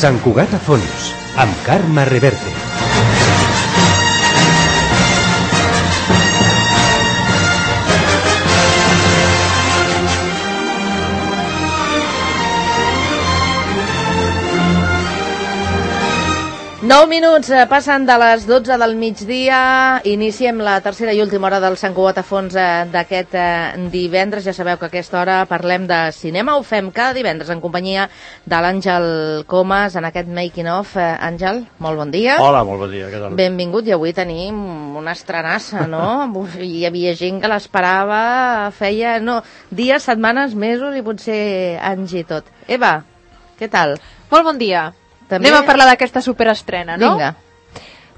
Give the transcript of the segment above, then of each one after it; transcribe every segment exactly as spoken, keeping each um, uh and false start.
Sant Cugat a fons, amb Carme Reverte. Nou minuts passen de les dotze del migdia, iniciem la tercera i última hora del Sant Cugat a fons d'aquest divendres. Ja sabeu que a aquesta hora parlem de cinema, ho fem cada divendres en companyia de l'Àngel Comas en aquest making of. Àngel, molt bon dia. Hola, molt bon dia, què tal? Benvingut, i avui tenim una estrenassa, no? Hi havia gent que l'esperava, feia no, dies, setmanes, mesos i potser anys i tot. Eva, què tal? Molt bon dia. També... Anem a parlar d'aquesta superestrena, no? Vinga.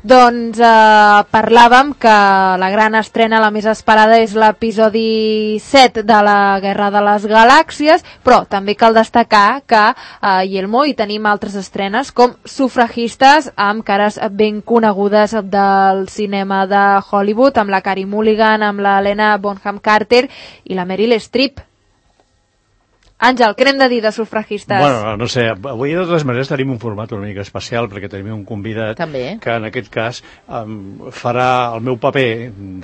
Doncs eh, parlàvem que la gran estrena, la més esperada, és l'episodi set de la Guerra de les Galàxies, però també cal destacar que a eh, Yelmo hi tenim altres estrenes com Sufragistes, amb cares ben conegudes del cinema de Hollywood, amb la Carey Mulligan, amb la Helena Bonham Carter i la Meryl Streep. Àngel, què n'hem de dir de Sufragistes? Bueno, no sé, avui de totes maneres tenim un format una mica especial perquè tenim un convidat També. que en aquest cas um, farà el meu paper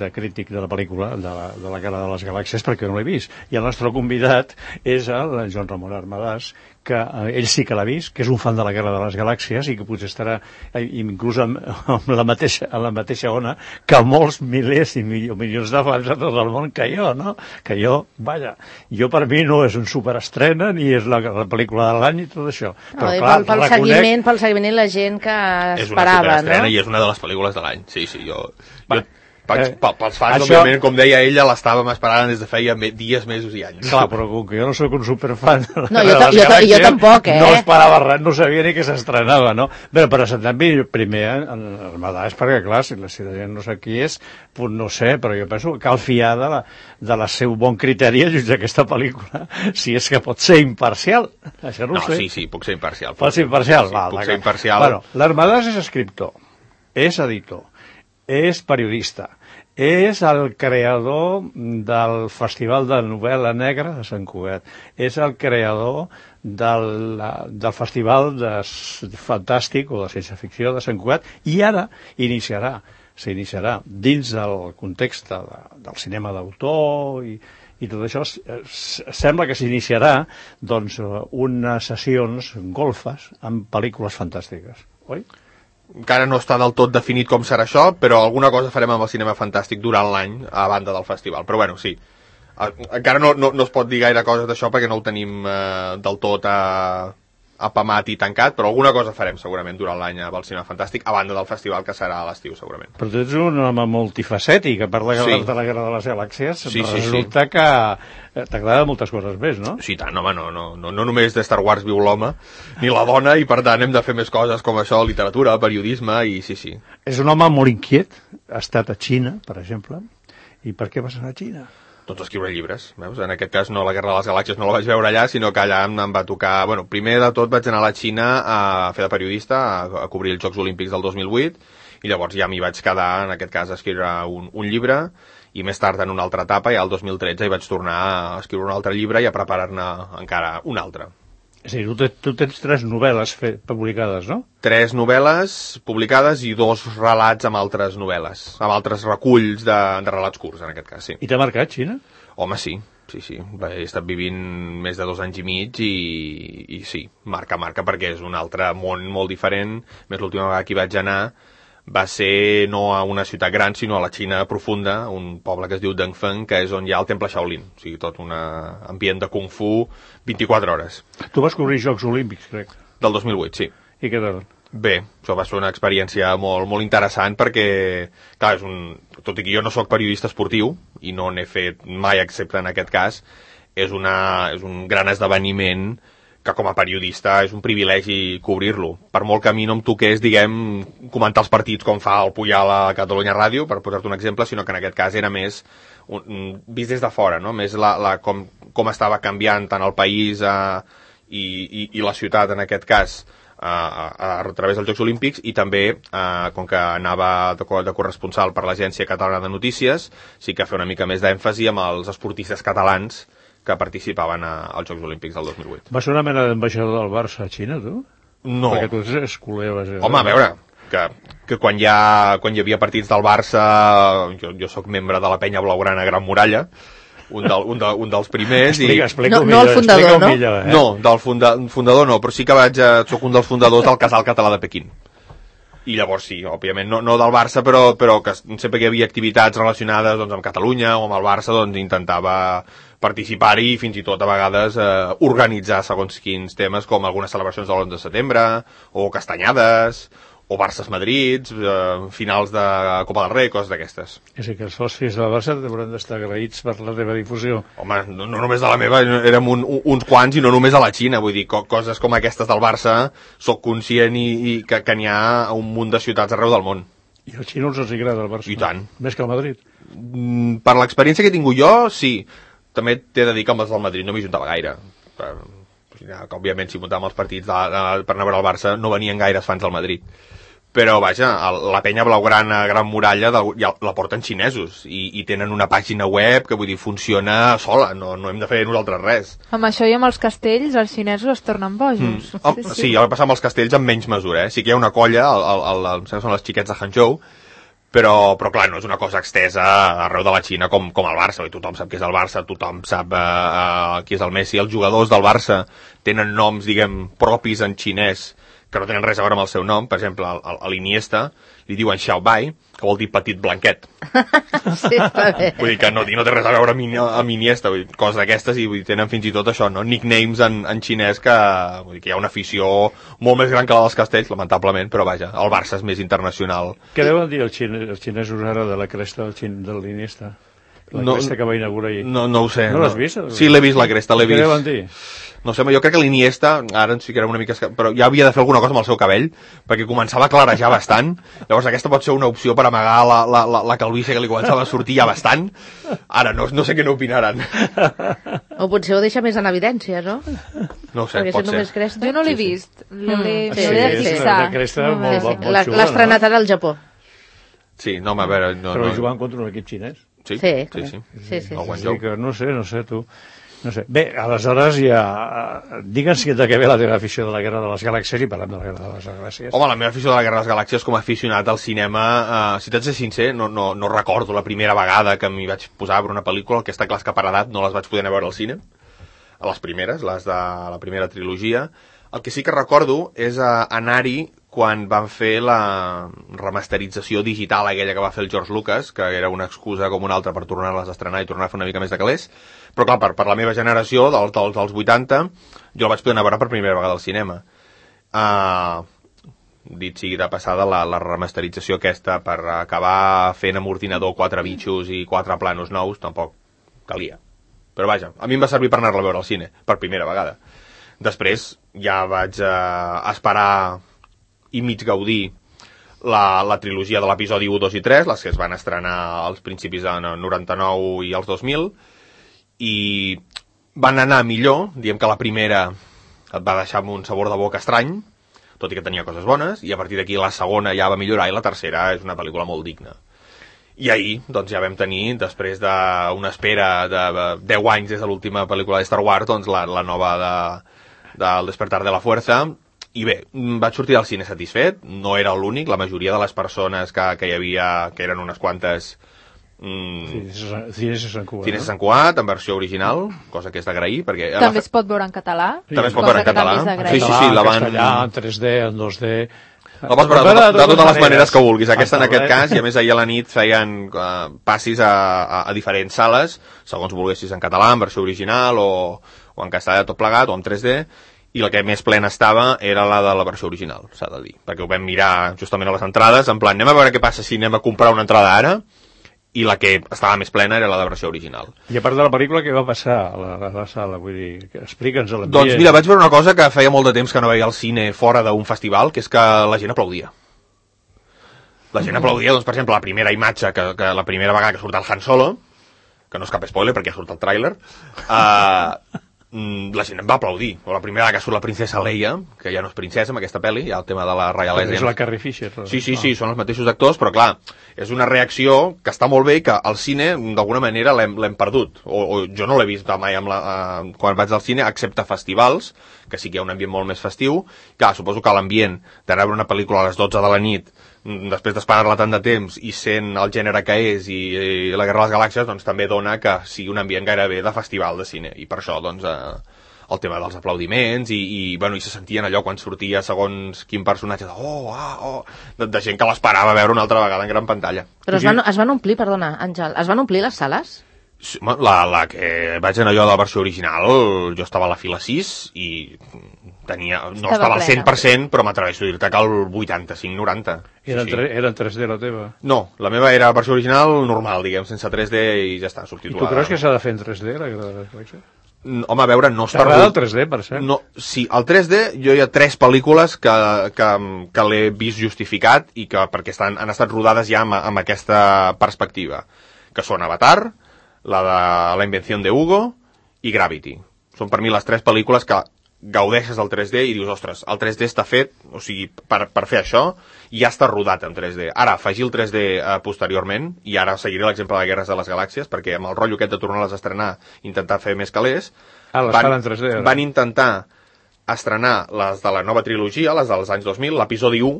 de crític de la pel·lícula de la, de la Guerra de les Galàxies perquè no l'he vist. I el nostre convidat és el Joan Ramon Armadàs, que eh, ell sí que l'ha vist, que és un fan de la Guerra de les Galàxies i que potser estarà eh, inclús amb, amb la mateixa, en la mateixa ona que molts milers i milions, milions de fans de tot el món que jo, no? Que jo, vaja, jo per mi no és un superestrena ni és la, la pel·lícula de l'any i tot això. Però, no, clar, pel, pel, reconec... seguiment, pel seguiment la gent que esperava, és una superestrena, no? I és una de les pel·lícules de l'any, sí, sí, jo... Va. jo pels, Eh, pels fans, això... òbviament, com deia ella, l'estàvem esperant des de feia me, dies, mesos i anys. Clar, però com que jo no sóc un superfan de No, jo, les jo, Galàxies, jo tampoc, eh? no esperava res, no sabia ni que s'estrenava, no? Bé, però també primer en el Madàs, perquè clar, si la, si la gent no sé qui és, pues no sé, però jo penso que cal fiar de la, de la seu bon criteri a jutjar aquesta pel·lícula, si és que pot ser imparcial. Això no, no ho sé. sí, sí, puc ser imparcial. Pot ser imparcial? Sí, Va, puc va, ser imparcial. Bueno, l'Armadàs és escriptor, és editor, és periodista, és el creador del Festival de Novel·la Negra de Sant Cugat, és el creador del, del Festival de Fantàstic o de Ciència Ficció de Sant Cugat i ara iniciarà, s'iniciarà dins del context de, del cinema d'autor i, i tot això, sembla que s'iniciarà doncs, unes sessions golfes amb pel·lícules fantàstiques, oi? Encara no està del tot definit com serà això, però alguna cosa farem amb el cinema fantàstic durant l'any a banda del festival. Però bueno, sí, encara no, no, no es pot dir gaire coses d'això perquè no ho tenim eh, del tot a... apamat i tancat, però alguna cosa farem segurament durant l'any amb el cinema fantàstic, a banda del festival que serà a l'estiu segurament. Però tu ets un home multifacètic, a part de, sí. de la Guerra de les Galàxies, sí, sí, resulta sí. que t'agrada moltes coses més, no? Sí, tant, home, no, no, no, no només de Star Wars viu l'home, ni la dona, i per tant hem de fer més coses com això, literatura, periodisme, i sí, sí. És un home molt inquiet, ha estat a Xina, per exemple, i per què vas anar a Xina? Doncs escriure llibres, veus? En aquest cas no la Guerra de les Galàxies no la vaig veure allà, sinó que allà em, em va tocar... Bueno, primer de tot vaig anar a la Xina a fer de periodista, a, a cobrir els Jocs Olímpics del dos mil vuit, i llavors ja m'hi vaig quedar, en aquest cas, a escriure un, un llibre, i més tard, en una altra etapa, ja el dos mil tretze, hi vaig tornar a escriure un altre llibre i a preparar-ne encara un altre. És a dir, tu, te, tu tens tres novel·les fe, publicades, no? Tres novel·les publicades i dos relats amb altres novel·les, amb altres reculls de, de relats curts, en aquest cas, sí. I t'ha marcat, Xina? Home, sí, sí, sí. He estat vivint més de dos anys i mig i, i sí, marca, marca, perquè és un altre món molt diferent. Més l'última vegada que hi vaig anar va ser no a una ciutat gran, sinó a la Xina profunda, un poble que es diu Dengfeng, que és on hi ha el temple Shaolin, o sigui, tot un ambient de Kung Fu vint-i-quatre hores. Tu vas cobrir Jocs Olímpics, crec. Del dos mil vuit, sí. I què tal? Bé, això va ser una experiència molt, molt interessant perquè, clar, és un, tot i que jo no sóc periodista esportiu i no n'he fet mai excepte en aquest cas, és, una, és un gran esdeveniment que com a periodista és un privilegi cobrir-lo. Per molt que a mi no em toqués, diguem, comentar els partits com fa el Puyal a Catalunya Ràdio, per posar-te un exemple, sinó que en aquest cas era més un, vist des de fora, no? Més la, la, com, com estava canviant tant el país eh, i, i, i la ciutat, en aquest cas, a, a, a través dels Jocs Olímpics, i també, eh, com que anava de, de corresponsal per l'Agència Catalana de Notícies, sí que fer una mica més d'èmfasi amb els esportistes catalans que participaven a, als Jocs Olímpics del dos mil vuit. Va ser una mena d'ambaixador del Barça a Xina, tu? No. Perquè tu ets culer, vaja. Home, a veure, que, que quan, hi ha, quan hi havia partits del Barça, jo, jo sóc membre de la penya blaugrana Gran Muralla, un, del, un, de, un dels primers. Explica, i... explica no, millor, no el fundador, no? Millor, eh? No, del funda, fundador no, però sí que vaig a, soc un dels fundadors del Casal Català de Pequín. I llavors sí, òbviament, no, no del Barça, però, però que sempre que hi havia activitats relacionades doncs, amb Catalunya o amb el Barça, doncs intentava participar-hi i fins i tot a vegades eh, organitzar segons quins temes, com algunes celebracions de l'onze de setembre, o castanyades, o Barça-Madrid, eh, finals de Copa del Rei, coses d'aquestes. És a dir, que els socis de la Barça hauran d'estar agraïts per la teva difusió. Home, no, no només de la meva, érem un, un, uns quants i no només a la Xina, vull dir, co coses com aquestes del Barça, sóc conscient i, i que, que n'hi ha a un munt de ciutats arreu del món. I als xinos els agrada el Barça. I tant. Més que el Madrid. Mm, per l'experiència que he tingut jo, sí. També t'he de dir que amb els del Madrid no m'hi juntava gaire. Per, que, òbviament, si muntàvem els partits de, de, per anar a veure el Barça, no venien gaires fans del Madrid. Però, vaja, el, la penya blaugrana Gran Muralla de, ja la porten xinesos i, i tenen una pàgina web que, vull dir, funciona sola, no, no hem de fer nosaltres res. Amb això i amb els castells, els xinesos es tornen bojos. Mm. Oh, sí, sí, ja va passar amb els castells amb menys mesura, eh? Sí que hi ha una colla, el, el, el, el, el, són els xiquets de Hangzhou, però, però clar, no és una cosa extesa arreu de la Xina com, com el Barça, i tothom sap què és el Barça, tothom sap eh, eh, qui és el Messi, els jugadors del Barça tenen noms, diguem, propis en xinès, que no tenen res a veure amb el seu nom. Per exemple, a l'Iniesta li diuen Xiao Bai, que vol dir petit blanquet. Sí, està bé. Vull dir que no, no té res a veure amb, amb Iniesta, vull dir, coses d'aquestes, i vull dir, tenen fins i tot això, no? Nicknames en, en xinès que, vull dir, que hi ha una afició molt més gran que la dels castells, lamentablement, però vaja, el Barça és més internacional. Què deuen dir els, xine, els xinesos ara de la cresta del xin, de l'Iniesta? La no, cresta que va inaugurar ahir. No, no ho sé. No l'has vist? Sí, l'he vist, la cresta, l'he vist. Què deuen dir? No sé, jo crec que l'Iniesta, ara ens ficarem una mica... Però ja havia de fer alguna cosa amb el seu cabell, perquè començava a clarejar bastant. Llavors aquesta pot ser una opció per amagar la, la, la, la calvície que li començava a sortir ja bastant. Ara no, no sé què n'opinaran. O potser ho deixa més en evidència, no? No ho sé, perquè pot si ser. cresta... Jo no l'he sí, vist. L'hauré Mm. sí, Sí, de sí, fixar. la cresta No, molt- Sí, sí. molt L'ha xula, l'ha estrenat ara al Japó. Sí, no, home, a veure... No, Però no, jugant contra un equip xinès. Sí, Sí. sí, sí. Sí, sí. El Sí, Guangzhou. que no sé, no sé, tu. No sé. Bé, aleshores ja... Digue'ns de què ve la teva afició de la Guerra de les Galàxies i parlem de la Guerra de les Galàxies. Home, la meva afició de la Guerra de les Galàxies com a aficionat al cinema, eh, si t'haig de ser sincer, no, no, no recordo la primera vegada que m'hi vaig posar a veure una pel·lícula, aquesta clar que per edat no les vaig poder anar a veure al cine, a les primeres, les de la primera trilogia. El que sí que recordo és eh, anar-hi quan van fer la remasterització digital aquella que va fer el George Lucas, que era una excusa com una altra per tornar-les a estrenar i tornar a fer una mica més de calés. Però clar, per, per la meva generació, dels, dels, dels vuitanta, jo la vaig poder anar a veure per primera vegada al cinema. Uh, dit sigui de passada, la, la remasterització aquesta per acabar fent amb ordinador quatre bitxos i quatre planos nous, tampoc calia. Però vaja, a mi em va servir per anar-la a veure al cine, per primera vegada. Després ja vaig uh, esperar i mig gaudir la, la trilogia de l'episodi u, dos i tres, les que es van estrenar als principis de noranta-nou i als dos mil, i van anar millor, diem que la primera et va deixar amb un sabor de boca estrany, tot i que tenia coses bones, i a partir d'aquí la segona ja va millorar i la tercera és una pel·lícula molt digna. I ahir, doncs ja vam tenir, després d'una espera de deu anys des de l'última pel·lícula de Star Wars, doncs la, la nova de, de El despertar de la fuerza. I bé, vaig sortir del cine satisfet, no era l'únic, la majoria de les persones que, que hi havia, que eren unes quantes... Mm, Cines de Sant Cugat. Cines de Sant Cugat, en versió original, cosa que és d'agrair, perquè... També es pot veure en català. Sí, també es pot cosa veure en que català. també és d'agrair. Sí, sí, sí, la van... castellà, en tres D, en dos D... La pots veure de, de totes les maneres que vulguis. Aquesta en aquest cas, i a més ahir a la nit feien uh, passis a, a, a diferents sales, segons volguessis en català, en versió original, o, o en castellà tot plegat, o en tres D, i la que més plena estava era la de la versió original, s'ha de dir, perquè ho vam mirar justament a les entrades, en plan, anem a veure què passa si anem a comprar una entrada ara, i la que estava més plena era la de versió original. I a part de la pel·lícula, què va passar a la, a la sala? Vull dir, explica'ns a l'ambient. Doncs mira, vaig veure una cosa que feia molt de temps que no veia al cine fora d'un festival, que és que la gent aplaudia. La gent aplaudia, doncs, per exemple, la primera imatge, que, que la primera vegada que surt el Han Solo, que no és cap spoiler perquè ja surt el tràiler, uh, la gent em va aplaudir. O la primera vegada que surt la princesa Leia, que ja no és princesa amb aquesta pel·li, hi ha el tema de la reialesa. És la Carrie Fisher. Sí, sí, sí, són els mateixos actors, però clar, és una reacció que està molt bé i que al cine, d'alguna manera, l'hem perdut. O, o jo no l'he vist mai amb la, uh, quan vaig al cine, excepte festivals, que sí que hi ha un ambient molt més festiu. Clar, suposo que l'ambient d'anar a veure una pel·lícula a les dotze de la nit, després d'esperar-la tant de temps i sent el gènere que és i, i la Guerra de les Galàxies, doncs també dona que sigui un ambient gairebé de festival de cine. I per això, doncs, eh, el tema dels aplaudiments i, i, bueno, i se sentien allò quan sortia segons quin personatge de oh, ah, oh, de, de gent que l'esperava veure una altra vegada en gran pantalla. Però es van, es van omplir, perdona, Àngel, es van omplir les sales? La, la que vaig anar jo de la versió original, jo estava a la fila sis i tenia, no estava, estava al cent per cent, però m'atreveixo a dir-te que el vuitanta-cinc noranta. Era, sí, sí. Era en tres D la teva? No, la meva era versió original normal, diguem, sense tres D i ja està, subtitulada. I tu creus que s'ha de fer en tres D, la Guerra de les Galàxies? Home, a veure, no està... T'agrada el tres D, per cert? No, sí, el tres D, jo hi ha tres pel·lícules que, que, que l'he vist justificat i que perquè estan, han estat rodades ja amb, amb aquesta perspectiva, que són Avatar, la de La invenció de Hugo i Gravity. Són per mi les tres pel·lícules que gaudeixes del tres D i dius, ostres, el tres D està fet, o sigui, per, per fer això, i ja està rodat en tres D. Ara, afegir el tres D eh, posteriorment, i ara seguiré l'exemple de Guerres de les Galàxies, perquè amb el rotllo aquest de tornar-les a estrenar, intentar fer més calés, ah, van, en tres D, ara. van intentar estrenar les de la nova trilogia, les dels anys dos mil, l'episodi u,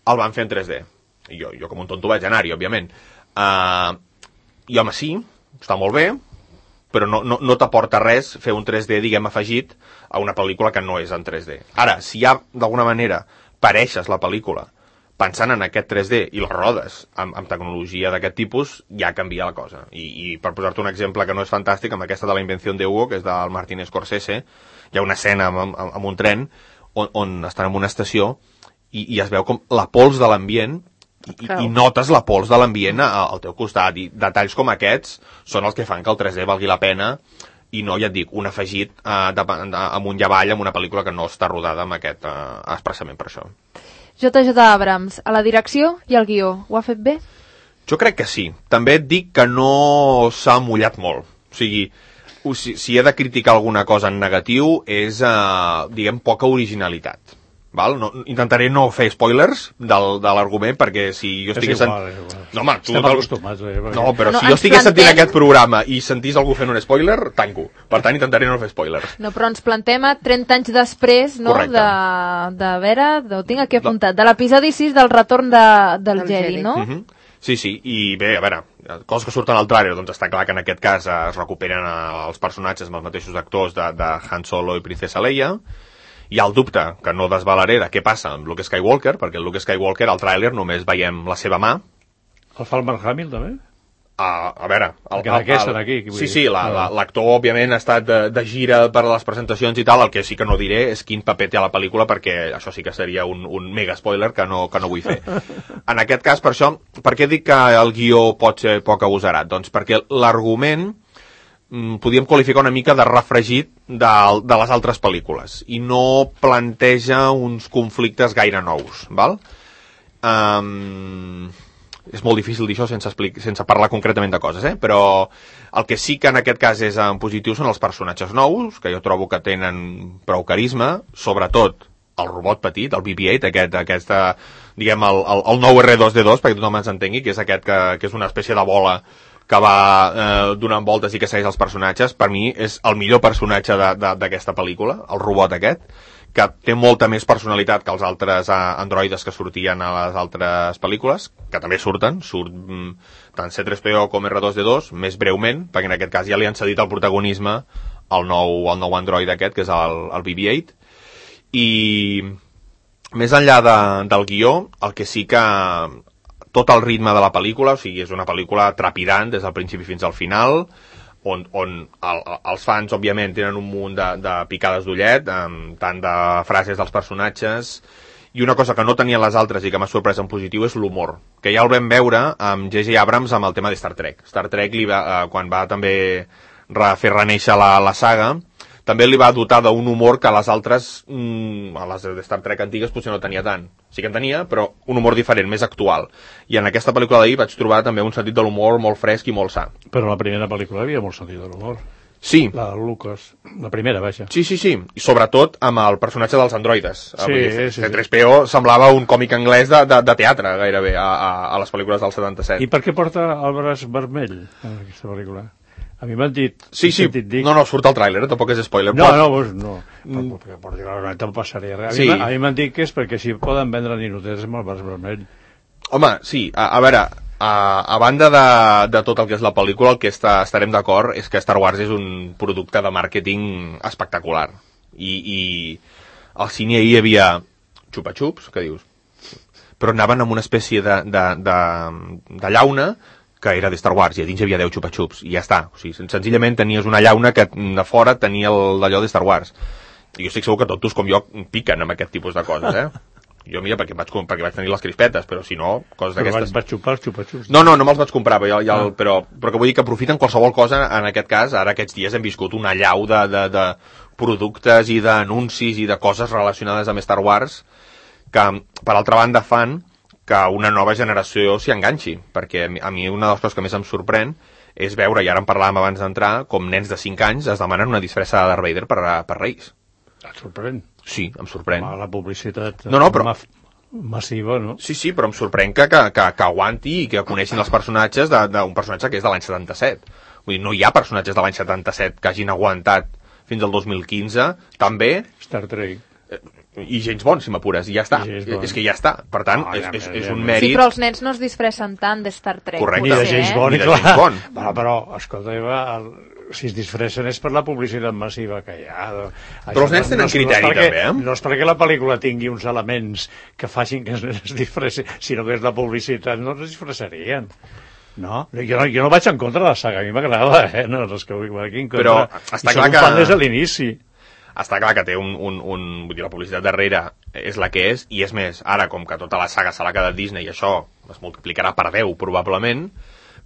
el van fer en tres D. I jo, jo com un tonto vaig anar-hi, òbviament. Uh, I home, sí, està molt bé, però no, no, no t'aporta res fer un tres D, diguem, afegit a una pel·lícula que no és en tres D. Ara, si ja, d'alguna manera, pareixes la pel·lícula pensant en aquest tres D i la rodes amb, amb tecnologia d'aquest tipus, ja canvia la cosa. I, i per posar-te un exemple que no és fantàstic, amb aquesta de La invenció de Hugo, que és del Martin Scorsese, hi ha una escena amb, amb, amb un tren on, on estan en una estació i, i es veu com la pols de l'ambient I, i notes la pols de l'ambient al teu costat, i detalls com aquests són els que fan que el tres D valgui la pena i no, ja et dic, un afegit eh, de, de, amunt i avall amb una pel·lícula que no està rodada amb aquest eh, expressament per això. J J Abrams, a la direcció i al guió, ho ha fet bé? Jo crec que sí. També et dic que no s'ha mullat molt. O sigui, si, si he de criticar alguna cosa en negatiu és, eh, diguem, poca originalitat. Val? No, intentaré no fer spoilers del, de l'argument, perquè si jo estigués... És igual, és igual. No, home, tu... Estem acostumats. Eh, perquè... No, però no, si jo estigués plantem... sentint aquest programa i sentís algú fent un spoiler, tanco. Per tant, intentaré no fer spoilers. No, però ens plantem a trenta anys després, no?, Correcte. de, de veure, ho tinc aquí apuntat, de l'episodi sis del retorn de, del Del Jedi, Jedi. no? Uh-huh. Sí, sí, i bé, a veure, coses que surten al tràiler, doncs està clar que en aquest cas es recuperen els personatges amb els mateixos actors de, de Han Solo i Princesa Leia. Hi ha el dubte, que no desvalaré, de què passa amb Luke Skywalker, perquè el Luke Skywalker, al tràiler, només veiem la seva mà. El fa el Mark Hamill, també? Uh, a veure... El, que d'aquesta d'aquí. Sí, sí, l'actor, la, òbviament, ha estat de, de gira per les presentacions i tal, el que sí que no diré és quin paper té a la pel·lícula, perquè això sí que seria un, un mega spoiler que no, que no vull fer. En aquest cas, per això, per què dic que el guió pot ser poc agosarat? Doncs perquè l'argument podíem qualificar una mica de refregit de, de les altres pel·lícules i no planteja uns conflictes gaire nous, val? Um, és molt difícil dir això sense, explic- sense parlar concretament de coses, eh? Però el que sí que en aquest cas és en positiu són els personatges nous, que jo trobo que tenen prou carisma, sobretot el robot petit, el B B ocho, aquest, aquesta, diguem, el, el, el nou R dos D dos, perquè tothom ens entengui, que és aquest que, que és una espècie de bola que va eh, donant voltes i que segueix els personatges. Per mi és el millor personatge d'aquesta pel·lícula, el robot aquest, que té molta més personalitat que els altres eh, androides que sortien a les altres pel·lícules, que també surten, surt mm, tant C tres P O com R dos D dos, més breument, perquè en aquest cas ja li han cedit el protagonisme al nou, al nou android aquest, que és el, el B B ocho, i més enllà de, del guió, el que sí que tot el ritme de la pel·lícula, o sigui, és una pel·lícula trepidant des del principi fins al final, on, on el, els fans, òbviament, tenen un munt de, de picades d'ullet, amb tant de frases dels personatges, i una cosa que no tenien les altres i que m'ha sorprès en positiu és l'humor, que ja el vam veure amb J J Abrams amb el tema de Star Trek. Star Trek, li va, eh, quan va també re, fer reneixer la, la saga, també li va dotar d'un humor que a les altres, mmm, a les de Star Trek antigues potser no tenia tant. Sí que en tenia, però un humor diferent, més actual. I en aquesta pel·lícula d'ahir vaig trobar també un sentit de l'humor molt fresc i molt sa. Però la primera pel·lícula havia molt sentit de l'humor. Sí. La de Lucas, la primera, vaja. Sí, sí, sí. I sobretot amb el personatge dels androides. Sí, sí, sí. C tres P O semblava un còmic anglès de, de, de teatre, gairebé, a, a, a les pel·lícules del setanta-set. I per què porta el braç vermell en aquesta pel·lícula? A mi m'han dit... Sí, sí, dit... no, no, surt el tràiler, eh? Tampoc és spoiler. No, no, pues no, Mm. perquè particularment em passaria res. A Sí. mi, a mi m'han dit que és perquè si poden vendre ninotets amb el braç vermell. Home, sí, a, a veure, a, a banda de, de tot el que és la pel·lícula, el que està, estarem d'acord és que Star Wars és un producte de màrqueting espectacular. I, i al cine hi havia xupa-xups, què dius? Però anaven amb una espècie de, de, de, de llauna que era de Star Wars, i a dins hi havia deu xupa-xups, i ja està. O sigui, senzillament tenies una llauna que de fora tenia d'allò de Star Wars. I jo estic segur que tots com jo piquen amb aquest tipus de coses, eh? Jo, mira, perquè vaig, perquè vaig tenir les crispetes, però si no, coses d'aquestes... Però vaig xupar els xupa-xups. No, no, no me'ls vaig comprar, però, ja, ah. però, però que vull dir que aprofiten qualsevol cosa, en aquest cas, ara aquests dies hem viscut una llau de, de, de productes i d'anuncis i de coses relacionades amb Star Wars que, per altra banda, fan que una nova generació s'hi enganxi, perquè a mi una de les coses que més em sorprèn és veure, i ara en parlàvem abans d'entrar, com nens de cinc anys es demanen una disfressa de Darth Vader per, per Reis. Et sorprèn? Sí, em sorprèn. Ah, la publicitat no, no, però... massiva, no? Sí, sí, però em sorprèn que, que, que, que aguanti i que coneixin els personatges d'un personatge que és de l'any setanta-set. Vull dir, no hi ha personatges de l'any setanta-set que hagin aguantat fins al dos mil quinze, també... Star Trek. I James Bond, si m'apures, i ja està. És que ja està. Per tant, oh, és, és, és un mèrit... Sí, però els nens no es disfressen tant de Star Trek. Correcte. Ni de James Bond, ni de James Bond. Però, però escolta, Eva, el, si es disfressen és per la publicitat massiva que hi ha. Però els nens tenen criteri, no perquè, també, eh? No és perquè la pel·lícula tingui uns elements que facin que es, es disfressin, sinó que és la publicitat, no es disfressarien. No? Jo, no, jo no vaig en contra de la saga, a mi m'agrada, eh? No, els que vull aquí en contra. Però està I clar que... fan des de l'inici. Està clar que té un, un, un... Vull dir, la publicitat darrere és la que és, i és més, ara, com que tota la saga se l'ha quedat Disney, i això es multiplicarà per deu, probablement,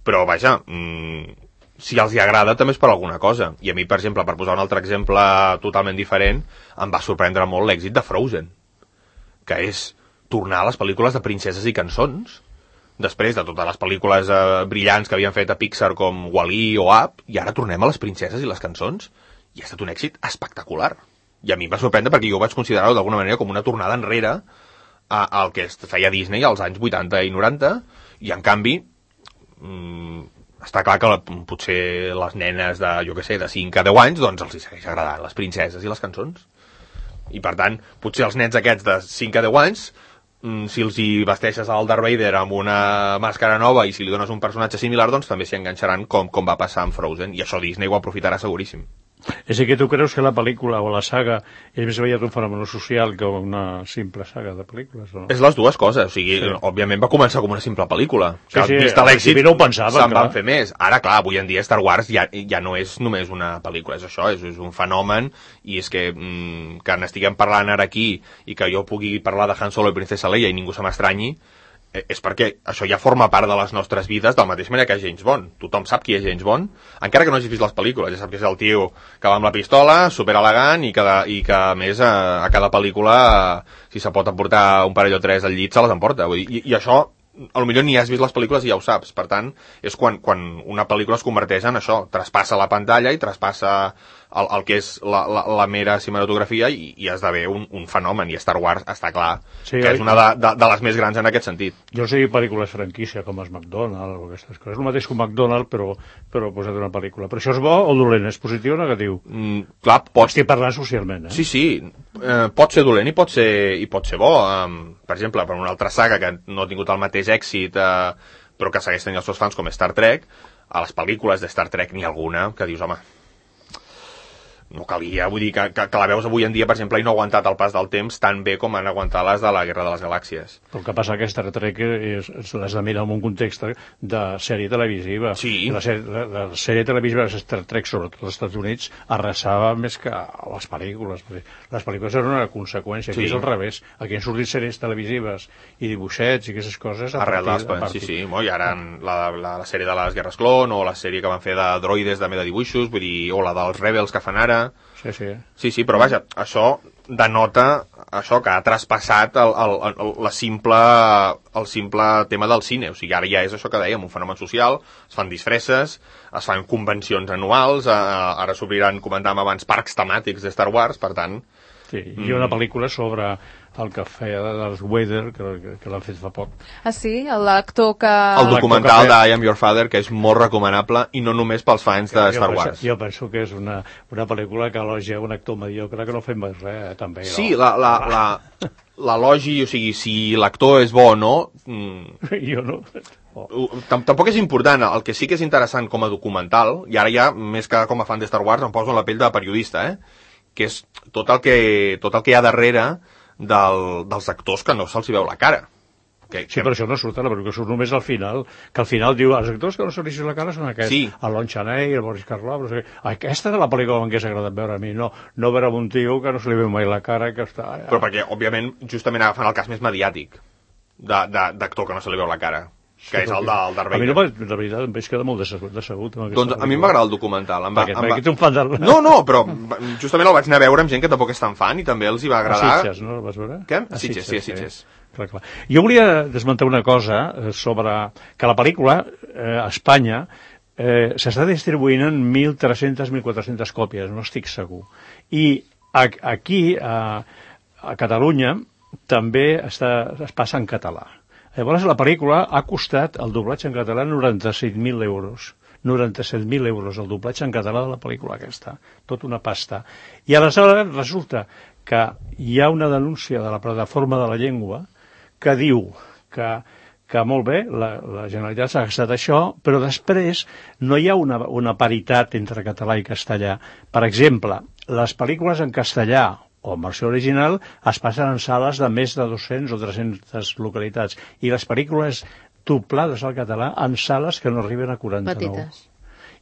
però, vaja, mmm, si els hi agrada, també és per alguna cosa. I a mi, per exemple, per posar un altre exemple totalment diferent, em va sorprendre molt l'èxit de Frozen, que és tornar a les pel·lícules de princeses i cançons, després de totes les pel·lícules eh, brillants que havien fet a Pixar com Wall-E o Up, i ara tornem a les princeses i les cançons, i ha estat un èxit espectacular. I a mi em va sorprendre perquè jo ho vaig considerar d'alguna manera com una tornada enrere al que es feia Disney als anys vuitanta i noranta, i en canvi mmm, està clar que la, potser les nenes de, jo què sé, de cinc a deu anys, doncs els hi segueix agradant les princeses i les cançons. I per tant, potser els nens aquests de cinc a deu anys, mmm, si els hi vesteixes al Darth Vader amb una màscara nova i si li dones un personatge similar, doncs també s'hi enganxaran com, com va passar amb Frozen, i això Disney ho aprofitarà seguríssim. És que tu creus que la pel·lícula o la saga és més aviat un fenomen social que una simple saga de pel·lícules, o no? És les dues coses, o sigui, sí. Òbviament va començar com una simple pel·lícula. Sí, sí, vist l'èxit, no ho pensava, se'n clar. van fer més. Ara, clar, avui en dia Star Wars ja, ja no és només una pel·lícula, és això, és, és un fenomen, i és que mmm, que n'estiguem parlant ara aquí i que jo pugui parlar de Han Solo i Princesa Leia i ningú se m'estranyi, és perquè això ja forma part de les nostres vides, del mateix manera que James Bond. Tothom sap qui és James Bond, encara que no hagis vist les pel·lícules. Ja sap que és el tio que va amb la pistola, super elegant, i que, i que a més a, a cada pel·lícula, si se pot emportar un parell o tres al llit, se les emporta. Vull dir, i, i això, potser ni has vist les pel·lícules i ja ho saps. Per tant, és quan, quan una pel·lícula es converteix en això, traspassa la pantalla i traspassa el, el que és la, la, la mera cinematografia, i, i esdevé un, un fenomen, i Star Wars està clar sí, que és una de, de, de les més grans en aquest sentit. Jo sé pel·lícules franquícia com els McDonald's o aquestes coses, el mateix que un McDonald's però, però posat una pel·lícula. Però això és bo o dolent? És positiu o negatiu? Mm, clar, pot... Estic parlant socialment, eh? Sí, sí, eh, pot ser dolent i pot ser, i pot ser bo. Um, per exemple, per una altra saga que no ha tingut el mateix èxit, eh, però que segueix tenint els seus fans, com Star Trek, a les pel·lícules de Star Trek n'hi ha alguna que dius, home, no calia, vull dir que, que, que la veus avui en dia, per exemple, i no ha aguantat el pas del temps tan bé com han aguantat les de la Guerra de les Galàxies. Però el que passa que Star Trek és, l'has de mirar en un context de sèrie televisiva. Sí. La, sèrie, la, la sèrie televisiva de Star Trek, sobretot als Estats Units, arrasava més que les pel·lícules. Les pel·lícules eren una conseqüència, aquí sí. És al revés. Aquí han sortit sèries televisives i dibuixets i aquestes coses a arrel partir, a partir. Sí, sí, i ara la, la, la sèrie de les Guerres Clon, o la sèrie que van fer de droides també de dibuixos, vull dir, o la dels Rebels que fan ara. Sí, sí. Sí, sí, però vaja, això denota això que ha traspassat el, el, el, la simple, el simple tema del cine. O sigui, ara ja és això que dèiem, un fenomen social, es fan disfresses, es fan convencions anuals, eh, ara s'obriran, comentàvem abans, parcs temàtics de Star Wars, per tant... Sí, hi ha una pel·lícula sobre el que feia de Darth Vader, que, que l'han fet fa poc. Ah, sí? L'actor que... El documental de I Am Your Father, que és molt recomanable, i no només pels fans de Star Wars. Jo penso que és una, una pel·lícula que elogia un actor mediocre que no fa més res, eh, també. Sí, la, la, la, l'elogi, o sigui, si l'actor és bo o no... Mm, jo no... Oh. Tampoc és important, el que sí que és interessant com a documental, i ara ja, més que com a fan de Star Wars, em poso en la pell de periodista, eh? Que és tot el que, tot el que hi ha darrere del, dels actors que no se'ls veu la cara. Que, sí, que... però això no surt ara, perquè surt només al final, que al final diu, els actors que no se'ls veu la cara són aquests, sí. El Lon Chaney, el Boris Karloff, no sé què. Aquesta és la pel·lícula que m'hagués agradat veure a mi, no, no veure un tio que no se li veu mai la cara, que està... Ja... Però perquè, òbviament, justament agafen el cas més mediàtic d'actor que no se li veu la cara. Que sí, és el del Darth Vader. A mi, no, la veritat, em veig quedar molt decebut. decebut doncs a mi m'agrada el documental. Em va, perquè, em va... perquè un fan del... No, no, però justament el vaig anar a veure amb gent que tampoc és tan fan i també els hi va agradar. A Sitges, no? El vas veure? Què? A Sitges, sí, a Sitges. Sí. Clar, clar. Jo volia desmentar una cosa sobre que la pel·lícula eh, a Espanya eh, s'està distribuint en mil tres-centes a mil quatre-centes còpies, no estic segur. I a, aquí, a, a Catalunya, també està, es passa en català. Llavors la pel·lícula ha costat el doblatge en català noranta-set mil euros. noranta-set mil euros el doblatge en català de la pel·lícula aquesta. Tot una pasta. I aleshores resulta que hi ha una denúncia de la plataforma de la llengua que diu que, que molt bé, la, la Generalitat s'ha gastat això, però després no hi ha una, una paritat entre català i castellà. Per exemple, les pel·lícules en castellà o en versió original es passen en sales de més de dos-cents o tres-centes localitats i les pel·lícules doblades al català en sales que no arriben a quaranta-nou. Petites.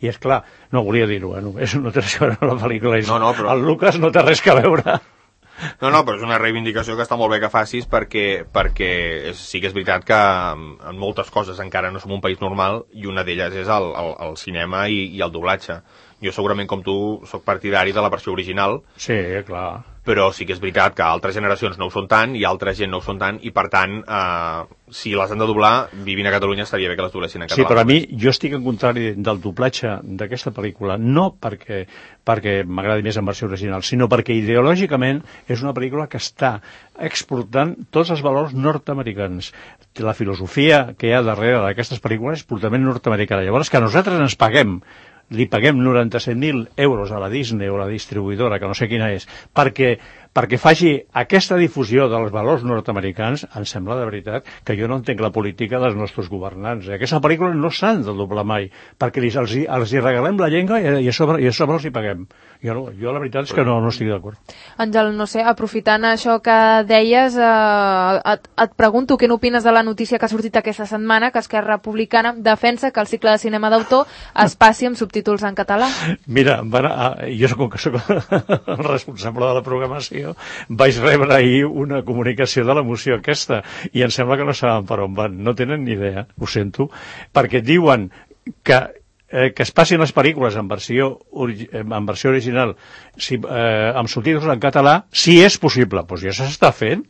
I és clar, no volia dir-ho, eh? És no té res a veure amb la pel·lícula. No, no, però... El Lucas no té res a veure. No, no, però és una reivindicació que està molt bé que facis perquè, perquè és, sí que és veritat que en moltes coses encara no som un país normal i una d'elles és el, el, el cinema i, i el doblatge. Jo segurament com tu soc partidari de la versió original. Sí, clar. Però sí que és veritat que altres generacions no ho són tant i altra gent no ho són tant i per tant, eh, si les han de doblar, vivint a Catalunya estaria bé que les doblessin en català. Sí, però a mi jo estic en contrari del doblatge d'aquesta pel·lícula, no perquè, perquè m'agradi més en versió original, sinó perquè ideològicament és una pel·lícula que està exportant tots els valors nord-americans. La filosofia que hi ha darrere d'aquestes pel·lícules és purament nord-americana. Llavors, que nosaltres ens paguem li paguem noranta-set mil euros a la Disney o a la distribuïdora, que no sé quina és, perquè, perquè faci aquesta difusió dels valors nord-americans, em sembla de veritat que jo no entenc la política dels nostres governants. Aquesta pel·lícula no s'han de doblar mai, perquè els, els, els hi regalem la llengua i a sobre, i a sobre els hi paguem. Jo, no, jo la veritat és que no, no estic d'acord. Àngel, no sé, aprofitant això que deies, eh, et, et pregunto què n'opines de la notícia que ha sortit aquesta setmana, que Esquerra Republicana defensa que el cicle de cinema d'autor es passi amb subtítols en català. Mira, van a, jo com que soc el responsable de la programació, vaig rebre ahir una comunicació de la moció aquesta, i em sembla que no saben per on van, no tenen ni idea, ho sento, perquè diuen que Eh, que es passin les pel·lícules en versió, en versió original si, eh, amb subtítols en català, si és possible. Doncs ja s'està fent.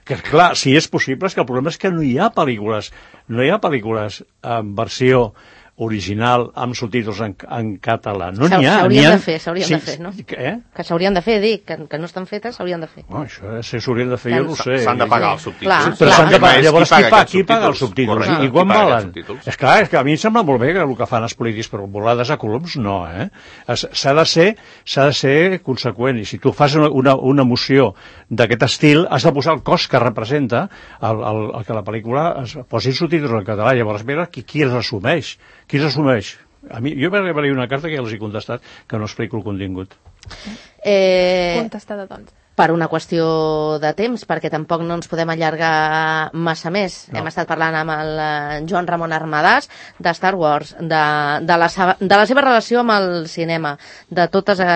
Que clar, si és possible, és que el problema és que no hi ha pel·lícules, no hi ha pel·lícules en versió original amb subtítols en, en català. No n'hi ha. S'haurien ha... de fer, s'haurien sí, de fer, no? Eh? Que s'haurien de fer, dic, que, que no estan fetes, s'haurien de fer. Oh, això si s'haurien de fer, jo no ho sé. S'han de pagar els subtítols. Clar, però s'han de pagar. Llavors, qui paga, qui paga els subtítols? Correcte. I quan valen? És clar, és que a mi em sembla molt bé que el que fan els polítics, però volades a coloms, no, eh? S'ha de ser, s'ha de ser conseqüent. I si tu fas una, una, una moció d'aquest estil, has de posar el cost que representa el, el, el que la pel·lícula es posi subtítols en català. Llavors, mira, qui, qui els assumeix? Qui els assumeix? A mi, jo vaig rebre una carta que ja els he contestat, que no explico el contingut. Eh, Contestada, doncs. Per una qüestió de temps, perquè tampoc no ens podem allargar massa més. No. Hem estat parlant amb el Joan Ramon Armadàs de Star Wars, de, de, la, de la seva relació amb el cinema, de totes eh,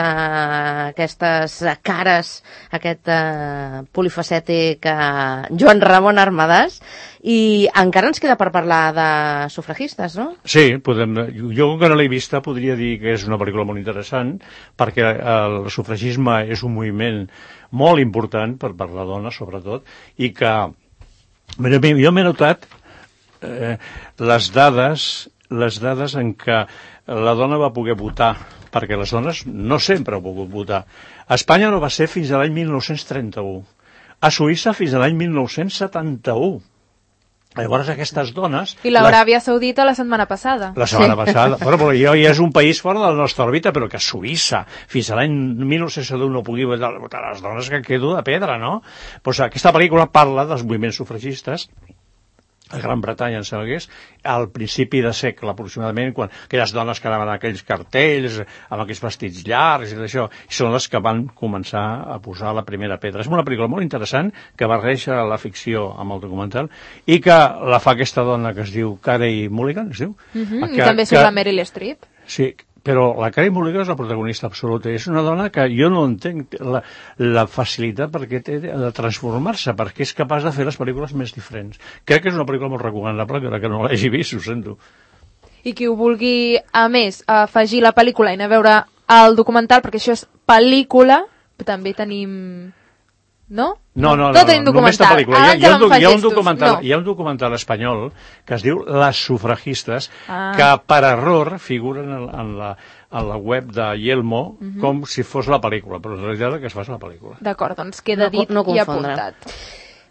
aquestes cares, aquest eh, polifacètic eh, Joan Ramon Armadàs, i encara ens queda per parlar de sufragistes, no? Sí, podem, jo que no l'he vista podria dir que és una pel·lícula molt interessant, perquè el sufragisme és un moviment molt important per, per la dona, sobretot, i que jo m'he notat eh, les dades les dades en què la dona va poder votar, perquè les dones no sempre han pogut votar. A Espanya no va ser fins a l'any mil nou-cents trenta-u. a Suïssa fins a l'any mil nou-cents setanta-u. Llavors aquestes dones... I l'Aràbia Saudita la setmana passada. La setmana sí. passada. Però, però jo ja és un país fora de la nostra òrbita, però que Suïssa, fins a l'any mil nou-cents setanta-u no pugui votar les dones que quedo de pedra, no? Pues aquesta pel·lícula parla dels moviments sufragistes a Gran Bretanya, em sembla que és, al principi de segle, aproximadament, quan aquelles dones que anaven aquells cartells, amb aquells vestits llargs i d'això, i són les que van començar a posar la primera pedra. És una pel·lícula molt interessant, que barreja la ficció amb el documental, i que la fa aquesta dona que es diu Carey Mulligan, es diu? Uh-huh, que, I també surt que, la Meryl Streep. Sí, però la Carey Mulligan és la protagonista absoluta. És una dona que jo no entenc la, la facilitat perquè té de transformar-se, perquè és capaç de fer les pel·lícules més diferents. Crec que és una pel·lícula molt recomanable, que, que no l'hagi vist, ho sento. I qui ho vulgui, a més, afegir la pel·lícula i anar a veure el documental, perquè això és pel·lícula, també tenim... No? No, no, no, no, tenim no només la pel·lícula. Hi ha, hi, ha un, hi, ha un documental, no. hi ha un documental espanyol que es diu Les sufragistes, ah. que per error figuren en, en, la, en la web de Yelmo uh-huh. com si fos la pel·lícula, però en realitat el que es fa és la pel·lícula. D'acord, doncs queda dit no, no i apuntat.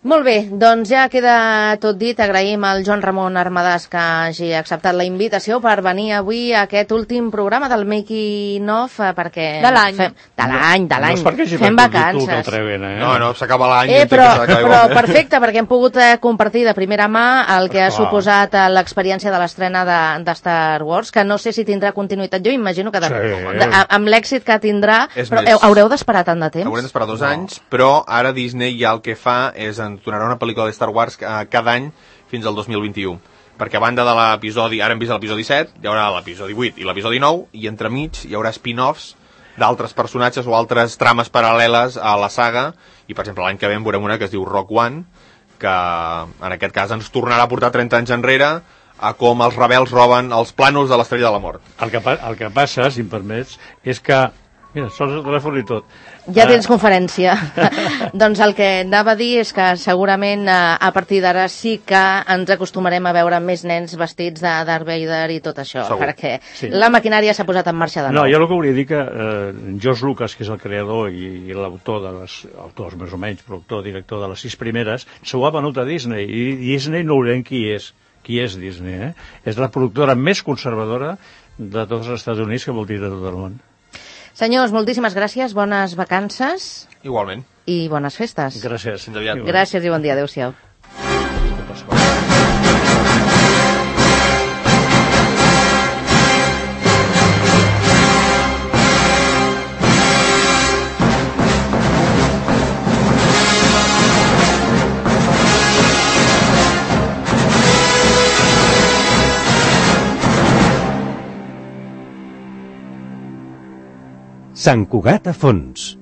Molt bé, doncs ja queda tot dit. Agraïm al Joan Ramon Armadàs que hagi acceptat la invitació per venir avui a aquest últim programa del Making of, perquè... De l'any. Fem... De l'any, de l'any. No és perquè hagi fem vacances. Tu que treuen, eh? No, no, s'acaba l'any. Eh, però, però perfecte, perquè hem pogut eh, compartir de primera mà el que ha Clar. suposat eh, l'experiència de l'estrena de, de Star Wars, que no sé si tindrà continuïtat. Jo imagino que de, sí. de, amb l'èxit que tindrà, és però més, haureu d'esperar tant de temps? Haurem d'esperar dos no. anys, però ara Disney ja el que fa és ens donarà una pel·lícula de Star Wars cada any fins al dos mil vint-i-u, perquè a banda de l'episodi, ara hem vist l'episodi set, hi haurà l'episodi vuit i l'episodi nou, i entremig hi haurà spin-offs d'altres personatges o altres trames paral·leles a la saga, i per exemple l'any que ve en veurem una que es diu Rogue One, que en aquest cas ens tornarà a portar trenta anys enrere a com els rebels roben els plànols de l'Estrella de la Mort. El que, el que passa, si em permets, és que mira, sols el telèfon i tot. Ja tens uh... conferència. Doncs el que anava a dir és que segurament uh, a partir d'ara sí que ens acostumarem a veure més nens vestits de Darth Vader i tot això, Segur. perquè sí. la maquinària s'ha posat en marxa de nou. No, jo el que volia dir que eh, George Lucas, que és el creador i, i l'autor de les, autors més o menys, però autor, director de les sis primeres, s'ho ha venut a Disney, i Disney no veurem qui és. Qui és Disney, eh? És la productora més conservadora de tots els Estats Units, que vol dir de tot el món. Senyors, moltíssimes gràcies, bones vacances. Igualment. I bones festes. Gràcies. Fins aviat. Gràcies i bon dia, adéu-siau. Sant Cugat a fons.